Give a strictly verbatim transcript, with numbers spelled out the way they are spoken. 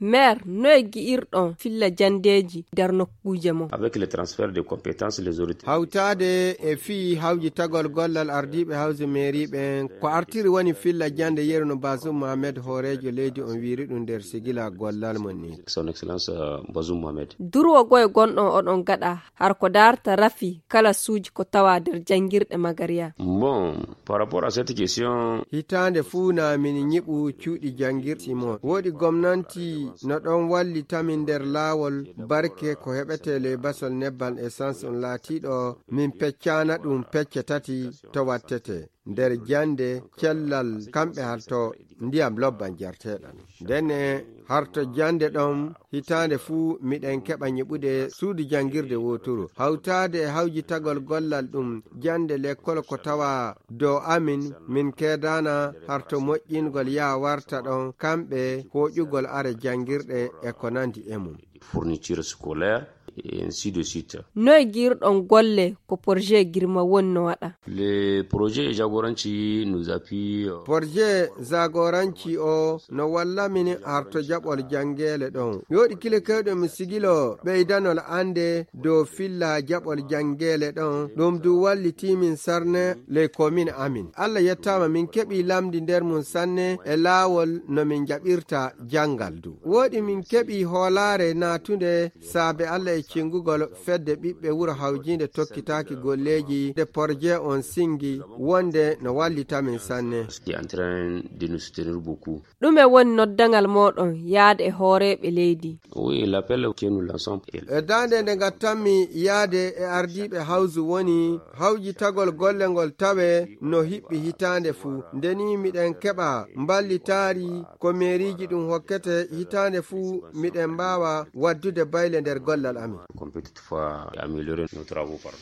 Maire, noye gi'irɗon filla jandeeji nder nokkuuje mon? Avec le transfert de compétences, les autorités. Hawtaade e fii hawjitagol gollal ardiiɓe hawse mairie ɓen, ko artiri woni filla jande yeru no Bazoum Mohamed hooreejo leydi on wiiri ɗum nder sigila gollal mon ni. Son Excellence, euh, Bazoum Mohamed. Durwo goye gonɗon oɗon gaɗa har ko daarta rafi kala suuji ko tawa nder janngirɗe Magariya? Bon, par rapport à cette question. Hitaande fuu na min ñiɓu cuuɗi janngirɗi mon. Woɗi gomnanti no ɗon wallita min nder laawol barke ko heɓetee ley basol nebbal essence on laatiiɗo min peccaana ɗum pecce tati to wattete. Nder jannde, cellal, kamɓe harto ndiyam lobban jarteeɗan. Ndenne harto jannde ɗon hitaande fuu miɗen keɓa ñiɓude suudu janngirde wooturu. Hawtaade e hawjitagol gollal ɗum jannde lekkol ko tawa dow amin, min keedaana harto moƴƴingol yaa warta ɗon kamɓe hooƴugol are janngirɗe e ko nandi e mum. Fourniture scolaire, et ainsi de suite. Noye gi'irɗon golle ko projet Girma woni no waɗa? Le projet Jagoranci nous appuie, euh, Projet Jagoranci o no walla min harto jaɓol janngeele ɗon. Yooɗi kile kewɗe mi sigilo ɓeydanol annde dow filla jaɓol janngeele ɗon. Ɗum du walliti min sarne ley komin amin. Allah yettaama min keɓi lamndi nder mum sanne e laawol no min jaɓirta janngal du. Woɗi min keɓi hoolaare naatunde saabe Allah e cingugol fedde ɓiɓɓe wuro hawjiinde tokkitaaki golleeji nde porje on singi wonde no wallita min sanne. Qui est en train de nous soutenir beaucoup. Ɗume woni noddangal mooɗon yaade e hooreeɓe leydi? Oui, l'appel que nous lançons. E daande nde ngattanmi yaade e ardiiɓe hawsu woni hawjitagol golle ngol tawe no hiɓɓi hitaande fuu. Ndeni miɗen keɓa mballitaari ko meeriiji ɗum hokkete hitaande fuu miɗen mbaawa waddude bayle nder gollal amin. Qu'on peut toutefois améliorer nos travaux, pardon.